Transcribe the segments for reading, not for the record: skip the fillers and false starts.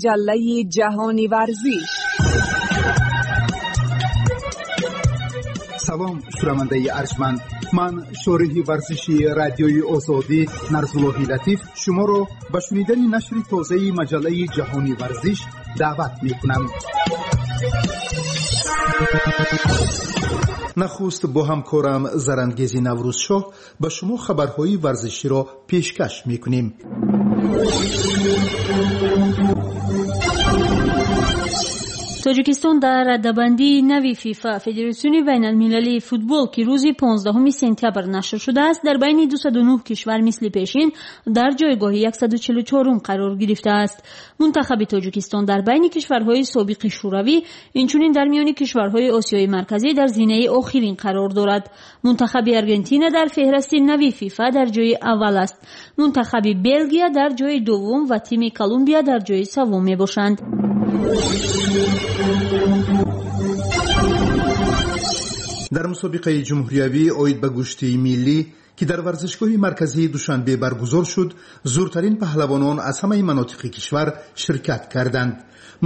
Маҷаллаи ҷаҳони варзиш. Салом, шунавандаи арҷманд. Ман шориҳи варзиши радиои Озодӣ Нарзуллоҳи Латиф шуморо ба шунидани нашри тозаи маҷаллаи ҷаҳони варзиш даъват мекунам. Нахуст бо ҳамкорам Зарангези Наврӯзшоҳ ба шумо хабарҳои варзиширо пешкаш мекунем. Тоҷикистон дар радабандии нави ФИФА, Федератсиони байналмилалии футбол, ки рӯзи 15 сентябр нашр шудааст, дар байни 209 кишвар мисли пешин дар ҷойгоҳи 144 қарор гирифтааст. Мунтахаби Тоҷикистон дар байни кишварҳои собиқи Шӯравӣ, инчунин дар миёни кишварҳои Осиёи Марказӣ дар зинаи охирин қарор дорад. Мунтахаби Аргентина дар феҳрасти нави ФИФА дар ҷои аввал аст. Мунтахаби Белгия дар ҷои дуввум ва тими Колумбия дар ҷои севум мебошанд. Дар мусобиқаи ҷумҳуриявӣ оид ба гӯштии миллӣ, ки дар варзишгоҳи марказии Душанбе баргузор шуд, зуртарин паҳлавонон аз ҳамаи манотиқи кишвар ширкат карданд.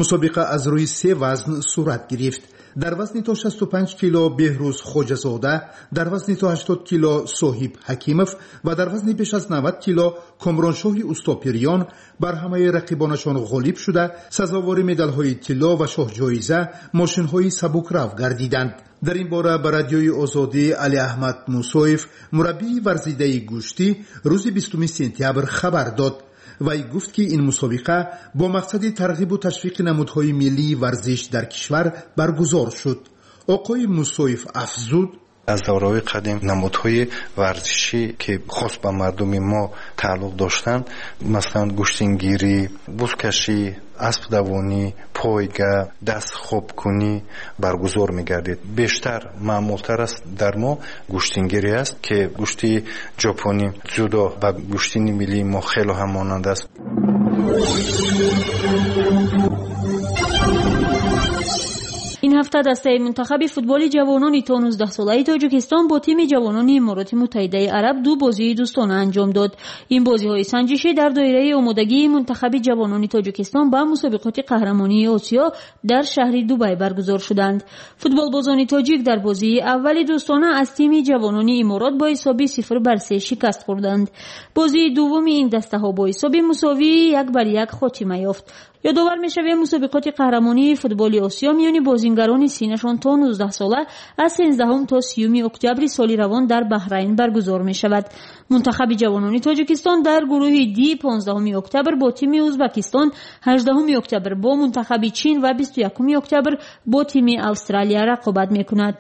Мусобиқа аз рӯи се вазн сурат гирифт. Дар вазни то 65 кило Беҳрӯз Хоҷазода, дар вазни то 80 кило Соҳиб Ҳакимов ва дар вазни беш аз 90 кило Комроншоҳи Устопириён бар ҳамаи рақибонашон ғолиб шуда, сазовори медалҳои тилло ва шоҳҷоиза мошинҳои сабукрав гардиданд. Дар ин бора ба радиои Озодӣ Алиаҳмад Мусоев, мураббии варзидаи гӯштӣ, рӯзи 20 сентябр хабар дод. Вай гуфт, ки ин мусобиқа бо мақсади тарғибу ташвиқи намудҳои миллии варзиш дар кишвар баргузор шуд. Оқои Мусоев афзуд: аз давраҳои қадим намудҳои варзишӣ, ки хос ба мардуми мо тааллуқ доштанд, масалан гӯштингирӣ, бузкашӣ, аспдавонӣ, пойга, дастхобкунӣ баргузор мегардид. Бештар маъмултар аст дар мо гӯштингирӣ аст, ки гӯшти ҷопонӣ ҷудо ба гӯштини миллии мо хело ҳам монанд аст. Ин ҳафта дастаи мунтахаби футболи ҷавонони то 19-солаи Тоҷикистон бо тими ҷавонони Имороти Муттаҳидаи Араб ду бозии дӯстона анҷом дод. Ин бозиҳои санҷишӣ дар доираи омодагии мунтахаби ҷавонони Тоҷикистон ба мусобиқоти қаҳрамонии Осиё дар шаҳри Дубай баргузор шуданд. Футболбозони тоҷик дар бозии аввали дӯстона аз тими ҷавонони Иморот бо ҳисоби 0-3 шикаст хӯрданд. Бозии дуввуми ин дастаҳо бо ҳисоби мусовии 1-1 хотима ёфт. Ёдовар мешавем, мусобиқоти қаҳрамонии футболи Осиё миёни бозингарони синнашон то 19 сола аз 13 то 30 октябри соли равон дар Баҳрайн баргузор мешавад. Мунтахаби ҷавонони Тоҷикистон дар гурӯҳи Д 15 октябр бо тими Ӯзбекистон, 18 октябр бо мунтахаби Чин ва 21 октябр бо тими Австралия рақобат мекунад.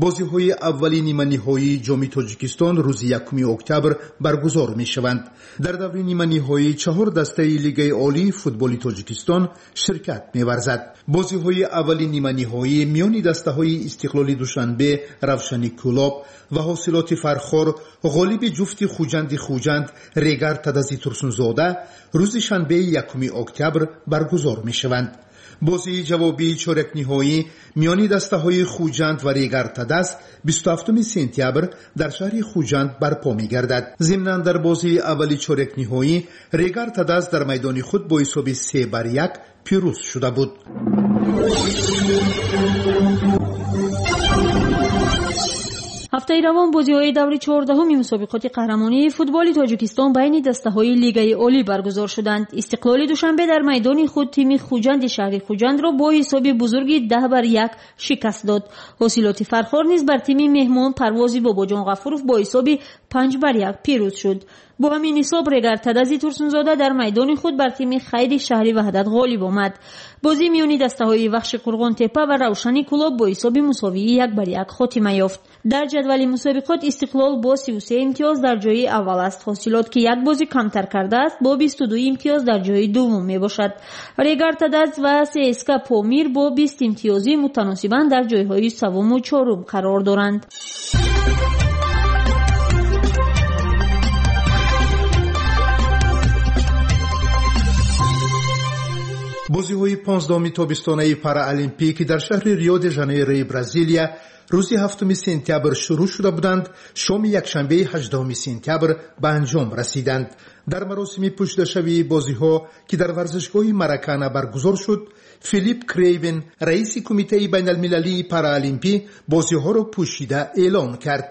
Бозиҳои аввали ниманиҳоии ҷоми Тоҷикистон рӯзи 1 октябр баргузор мешаванд. Дар даври ниманиҳоӣ чаҳор дастаи Лигаи олии футболи Тоҷикистон ширкат меварзад. Бозиҳои аввали ниманиҳоӣ миёни дастаҳои Истиқлоли Душанбе, Равшани Кӯлоб ва Ҳосилоти Фархор, ғолиби ҷуфти Хуҷанди Хуҷанд, Регар Тадази Турсунзода рӯзи шанбеи 1 октябр баргузор мешаванд. Бозии ҷавобии чорякниҳоӣ миёни дастаҳои Хуҷанд ва Регар Тадаз 27 сентябр дар шаҳри Хуҷанд барпо мегардад. Зимнан дар бозии аввали чорякниҳоӣ Регар Тадаз дар майдони худ бо ҳисоби 3-1 пирӯз шуда буд. Ҳафтаи равон бозиҳои даври 14-уми мусобиқоти қаҳрамонии футболи Тоҷикистон байни дастаҳои Лигаи олӣ баргузор шуданд. Истиқлоли Душанбе дар майдони худ тими Хуҷанди шаҳри Хуҷандро бо ҳисоби бузурги 10-1 шикаст дод. Ҳосилоти Фархор низ бар тими меҳмон Парвози Бобоҷон Ғафуров бо ҳисоби 5-1 пирӯз шуд. Бо ҳамин ҳисоб Регар Тадази Турсунзода дар майдони худ бар тими Хайри шаҳри Ваҳдат ғолиб омад. Бозии миёни дастаҳои Вахши Қурғонтепа ва Равшани Кӯлоб бо ҳисоби мусовии 1-1 хотима ёфт. Дар ҷадвали мусобиқот Истиқлол бо 33 имтиёз дар ҷои аввал аст. Ҳосилот, ки як бозӣ камтар кардааст, бо 22 имтиёз дар ҷои дуввум мебошад. Регар Тадаз ва ССК Помир бо 20 имтиёзӣ мутаносибан дар ҷойҳои севуму чорум қарор доранд. Бозиҳои 15-уми тобистонаи параолимпӣ, ки дар шаҳри Рио де Жанейрои Бразилия рӯзи 7 сентябр шурӯъ шуда буданд, шоми якшанбеи 18 сентябр ба анҷом расиданд. Дар маросими пӯшидашавии бозиҳо, ки дар варзишгоҳи Маракана баргузор шуд, Филипп Крейвен, раиси Кумитаи байналмилалии параолимпӣ, бозиҳоро пӯшида эълон кард.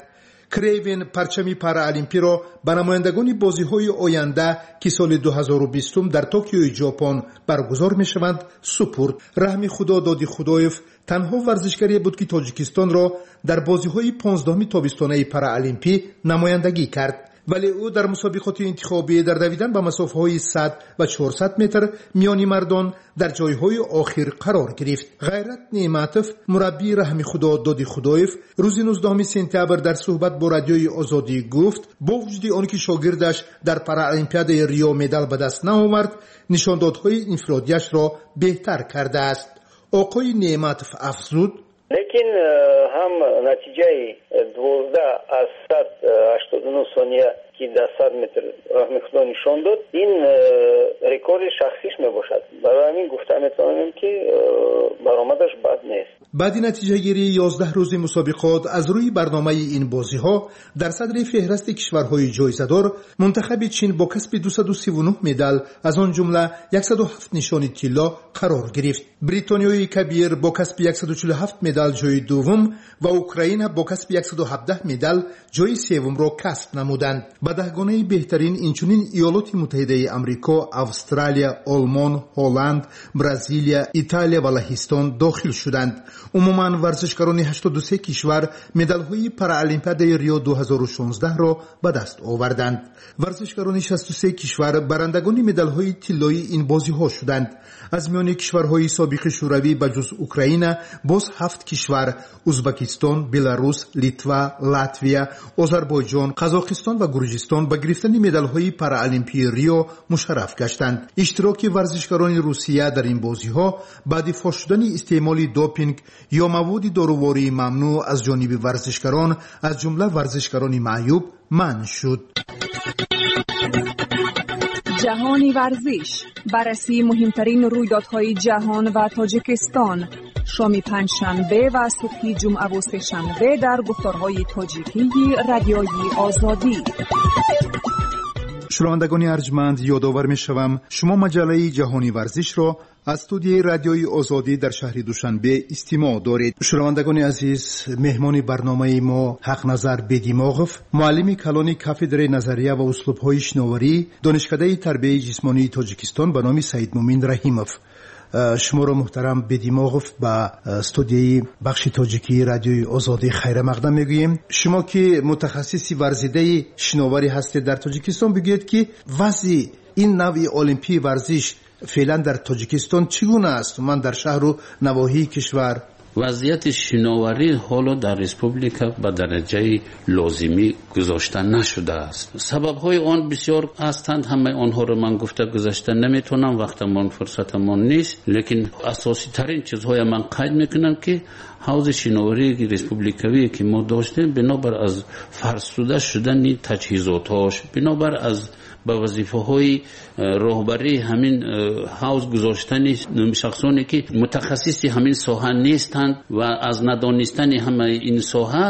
Крейвен парчами параолимпиро ба намояндагони бозиҳои оянда, ки соли 2020 дар Токиои Ҷопон баргузор мешаванд, супурд. Раҳми Худо Доди Худоев танҳо варзишгаре буд, ки Тоҷикистонро дар бозиҳои 15-уми тобистонаи параолимпӣ намояндагӣ кард. Вале ӯ дар мусобиқоти интихобӣ дар давидан ба масофаҳои 100 ва 400 метр миёни мардон дар ҷойҳои охир қарор гирифт. Ғайрат Неъматов, мураббии Раҳми Худо Доди Худоев, рӯзи 19 сентябр дар суҳбат бо Радиои Озодӣ гуфт, бо вуҷуди он ки шогирдаш дар Параолимпиадаи Рио медал ба даст наовард, нишондодҳои инфиродиашро беҳтар кардааст. Оқои Неъматов афзуд: Лекин ҳам натиҷаи 12 аз 189 сония, ки дар 100 метр Раҳми Худо нишон дод, ин рекорди шахсиш мебошад. Барои ҳамин гуфта метавонем, ки баромадаш бад нест. Баъди натиҷагирии 11 рӯзи мусобиқот аз рӯи барномаи ин бозиҳо, дар садри феҳрасти кишварҳои ҷоизадор мунтахаби Чин бо касби 239 медал, аз он ҷумла 107 нишони тилло, қарор гирифт. Бритониёи Кабир бо касби 147 медал ҷои дуввум ва Украина бо касби 117 медал ҷои севумро касб намуданд. Ба даҳгонаи беҳтарин инчунин Иёлоти Муттаҳидаи Амрико, Австралия, Олмон, Ҳолланд, Бразилия, Италия ва Лаҳистон дохил шуданд. Умуман, варзишгарони 83 кишвар медалҳои Параолимпиадаи Рио 2016-ро ба даст оварданд. Варзишгарони 63 кишвар барандагони медалҳои тиллоии ин бозиҳо шуданд. Аз миёни кишварҳои собиқи Шӯравӣ ба ҷуз Украина боз ҳафт кишвар: Узбакистон, Беларус, Литва, Латвия, Озарбойҷон, Қазоқистон ва Гурҷистон ба гирифтани медалҳои Параолимпии Рио мушарраф гаштанд. Иштироки варзишгарони Русия дар ин бозиҳо баъди фош шудани истеъмоли допинг ё маводи дорувории мамнӯъ аз ҷониби варзишгарон, аз ҷумла варзишгарони маъюб, манъ шуд. Ҷаҳони варзиш: баррасии муҳимтарин рӯйдодҳои ҷаҳон ва Тоҷикистон, шоми панҷшанбе ва субҳи ҷумъаву сешанбе дар гуфторҳои тоҷикии Радиои Озодӣ. Шунавандагони арҷманд, ёдовар мешавам, шумо маҷаллаи Ҷаҳони варзишро аз студияи Радиои Озодӣ дар шаҳри Душанбе истимоъ доред. Шунавандагони азиз, меҳмони барномаи мо Ҳақназар Бедимоғов, муаллими калони кафедраи назария ва услубҳои шиноварӣ, Донишкадаи тарбияи ҷисмонии Тоҷикистон ба номи Саидмумин Раҳимов. Шуморо, муҳтарам Бедимоғов, ба студияи бахши тоҷикии Радиои Озодӣ хайрамақдам мегӯем. Шумо ки мутахассиси варзидаи шиноварӣ ҳастед дар Тоҷикистон, бигӯед, ки вазъи ин навъи олимпии варзиш феълан дар Тоҷикистон чӣ гуна аст, умуман дар шаҳру навоҳии кишвар? Вазъияти шиноварӣ ҳоло дар республика ба дараҷаи лозимӣ гузошта нашудааст. Сабабҳои он бисёр ҳастанд, ҳамаи онҳоро ман гуфта гузашта наметавонам, вақтамон, фурсатамон нест. Лекин асоситарин чизҳоя ман қайд мекунам, ки ҳавзи шиноварии республикавие, ки мо доштем, бинобар аз фарсуда шудани таҷҳизотҳош, бинобар аз ба вазифаҳои роҳбарии ҳамин ҳавз гузоштани шахсоне, ки мутахассиси ҳамин соҳа нестанд, ва аз надонистани ҳамаи ин соҳа,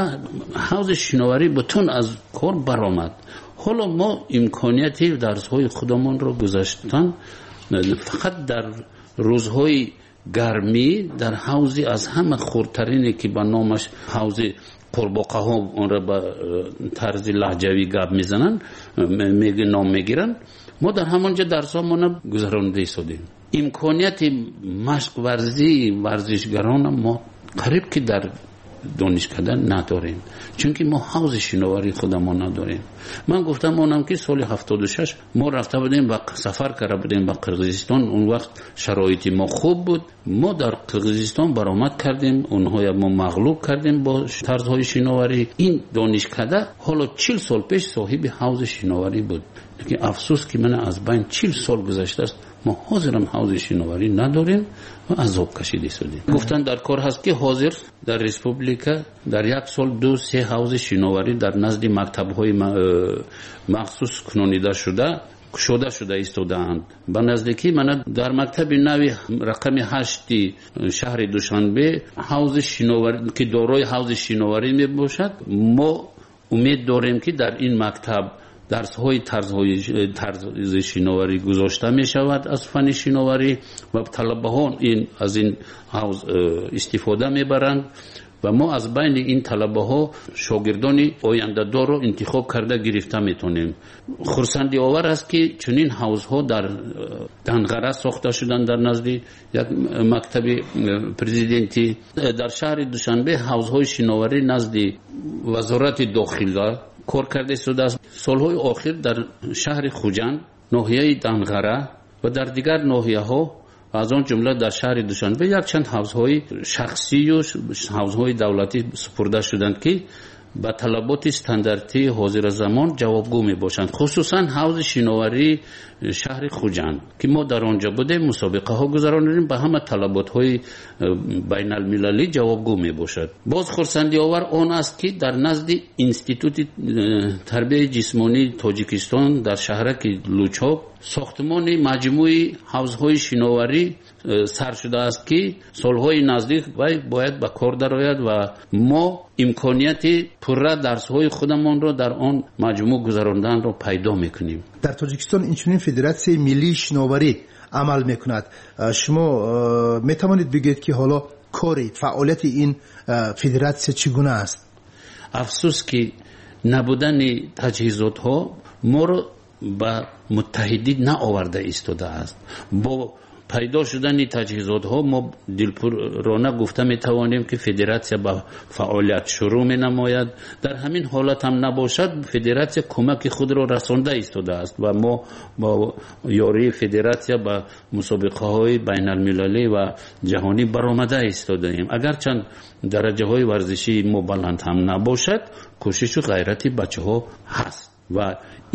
ҳавзи шиноварӣ бутун аз кор баромад. Ҳоло мо имконияти дарсҳои худамонро гузаштан фақат дар рӯзҳои гармӣ дар ҳавзи аз ҳама хурдтарине, ки ба номаш ҳавзи қурбоқаҳо, онро ба тарзи лаҳҷавӣ гап мезананд, ном мегиранд, мо дар ҳамон ҷо дарсҳомона гузаронида истодем. Имконияти машқварзии варзишгарона мо қариб ки дар донишкада надорем, чунки мо ҳавзи шиноварии худамон надорем. Ман гуфтам онам, ки соли 76 мо рафта будем ба сафар карда будем ба Қирғизистон. Он вақт шароити мо хуб буд. Мо дар Қирғизистон баромад кардем, онҳоя мо мағлуб кардем бо тарзҳои шиноварӣ. Ин донишкада ҳоло 40 сол пеш соҳиби ҳавзи шиноварӣ буд, лекин афсӯс, ки мана аз байн 40 сол гузаштааст, мо ҳозирам ҳавзи шиноварӣ надорем ва азоб кашида истодем. Гуфтан дар кор ҳаст, ки ҳозир дар республика дар як сол ду се ҳавзи шиноварӣ дар назди мактабҳои махсус кунонида шуда. кушода шуда истодаанд. Ба наздикӣ мана дар мактаби нави рақами 8 шаҳри Душанбе ҳавзи шиноварӣ, ки дорои ҳавзи шиноварӣ мебошад, мо умед дорем, ки дар ин мактаб дарсҳои тарзи шиноварӣ гузошта мешавад аз фанни шиноварӣ ва талабаҳо аз ин ҳавз истифода мебаранд ва мо аз байни ин талабаҳо шогирдони ояндадорро интихоб карда гирифта метавонем. Хурсандиовар аст, ки чунин ҳавзҳо дар Данғара сохта шуданд дар назди як мактаби президентӣ. Дар шаҳри Душанбе ҳавзҳои шиноварӣ назди Вазорати дохила кор карда истодааст. Солҳои охир дар шаҳри Хуҷанд, ноҳияи Данғара ва дар дигар ноҳияҳо, аз он ҷумла дар шаҳри Душанбе, якчанд ҳавзҳои шахсию ҳавзҳои давлатӣ супурда шуданд, ки ба талаботи стандартии ҳозиразамон ҷавобгӯ мебошанд. Хусусан ҳавзи шиноварии шаҳри Хуҷанд, ки мо дар он ҷо будем, мусобиқаҳо гузаронидем, ба ҳама талаботҳои байналмилалӣ ҷавобгӯ мебошад. Боз хурсандиовар он аст, ки дар назди Институти тарбияи ҷисмонии Тоҷикистон дар шаҳраки Лучоб сохтмони маҷмӯи ҳавзҳои шиноварӣ сар шудааст, ки солҳои наздик вай бояд ба кор дарояд ва мо имконияти пурра дарсҳои худамонро дар он маҷмӯъ гузаронданро пайдо мекунем. Дар Тоҷикистон инчунин Федератсияи миллии шиноварӣ амал мекунад. Шумо метавонед бигӯед, ки ҳоло кори фаъолияти ин федератсия чӣ гуна аст? Афсӯс, ки набудани таҷҳизотҳо моро ба муттаҳидӣ наоварда истодааст. Бо пайдо шудани таҷҳизотҳо мо дилпурона гуфта метавонем, ки федератсия ба фаъолият шурӯъ менамояд. Дар ҳамин ҳолат ҳам набошад, федератсия кӯмаки худро расонда истодааст ва мо бо ёрии федератсия ба мусобиқаҳои байналмилалӣ ва ҷаҳонӣ баромада истодаем. Агарчанд дараҷаҳои варзишии мо баланд ҳам набошад, кӯшишу ғайрати бачаҳо ҳаст ва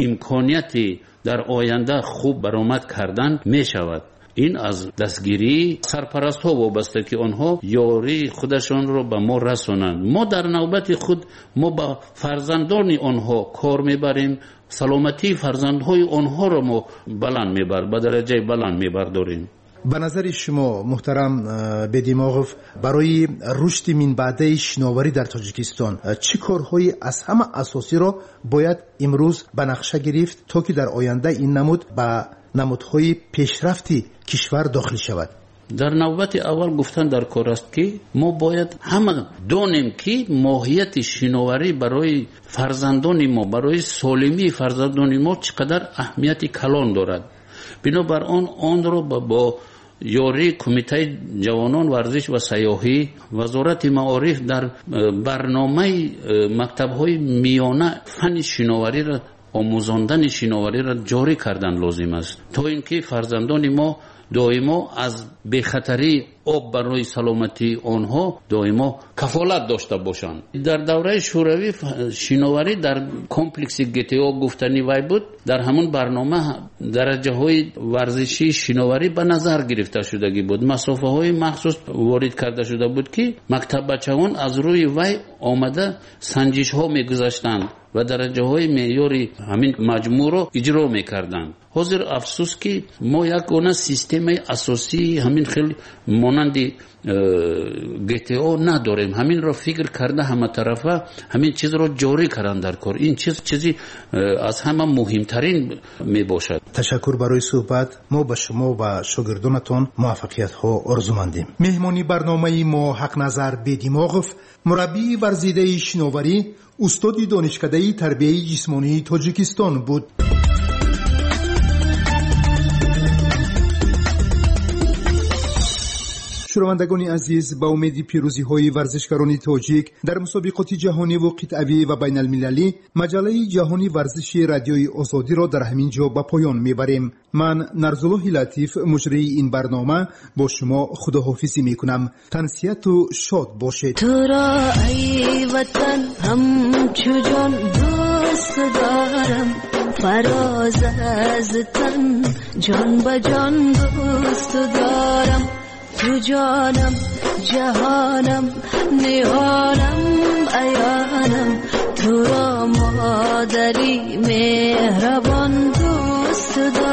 имконияти дар оянда хуб баромад кардан мешавад. Ин аз дастгирии сарпарастҳо вобаста, ки онҳо ёрии худашонро ба мо расонанд. Мо дар навбати худ мо ба фарзандони онҳо кор мебарем, саломатии фарзандҳои онҳоро мо баланд мебар, ба дараҷаи баланд мебардорем. Ба назари шумо, муҳтарам Бедимоғов, барои рушди минбаъдаи шиноварӣ дар Тоҷикистон чӣ корҳои аз ҳама асосиро бояд имрӯз ба нақша гирифт, то ки дар оянда ин намуд ба намудҳои пешрафти кишвар дохил шавад? Дар навбати аввал гуфтан дар кор аст, ки мо бояд ҳама донем, ки моҳияти шиноварӣ барои фарзандони мо, барои солимии фарзандони мо чӣ қадар аҳамияти калон дорад. Бинобар он онро бо ёрии Кумитаи ҷавонон, варзиш ва сайёҳӣ, Вазорати маориф дар барномаи мактабҳои миёна фанни шиновариро, омӯзондани шиновариро ҷорӣ кардан лозим аст, то ин ки фарзандони мо доимо аз бехатарии об барои саломатии онҳо доимо кафолат дошта бошанд. Дар давраи Шӯравӣ шиноварӣ дар комплекси ГТО гуфтани вай буд. Дар ҳамон барнома дараҷаҳои варзишии шиноварӣ ба назар гирифта шудагӣ буд. Масофаҳои махсус ворид карда шуда буд, ки мактаббачаҳон аз рӯи вай омада санҷишҳо мегузаштанд ва дараҷаҳои меъёри ҳамин маҷмӯъро иҷро мекарданд. Ҳозир афсӯс, ки мо ягона системаи асосии ҳамин хел монанди ГТО надорем. Ҳаминро фикр карда, ҳаматарафа ҳамин чизро ҷорӣ кардан дар кор. Ин чиз чизи аз ҳама муҳимтарин мебошад. Ташаккур барои суҳбат. Мо ба шумо ва шогирдонатон муваффақиятҳо орзумандем. Меҳмони барномаи мо Ҳақназар Бедимоғов, мураббии варзидаи шиноварӣ, устоди Донишкадаи тарбияи ҷисмонии Тоҷикистон буд. Шунавандагони азиз, ба умеди пирӯзиҳои варзишгарони тоҷик дар мусобиқоти ҷаҳониву қитъавӣ ва байналмилалӣ, маҷаллаи ҷаҳони варзиши Радиои Озодиро дар ҳамин ҷо ба поён мебарем. Ман, Нарзуллоҳи Латиф, муҷрии ин барнома, бо шумо худоҳофизӣ мекунам. Тансиҳату шод бошед. Туро, ай ватан, ҳамчу ҷон дӯст дорам, фароз аз тан ҷон ба ҷон дӯст дорам. Ту ҷонам, ҷаҳонам, ниҳонам, аёнам, туро модари меҳрабон дӯст. دوست دارم.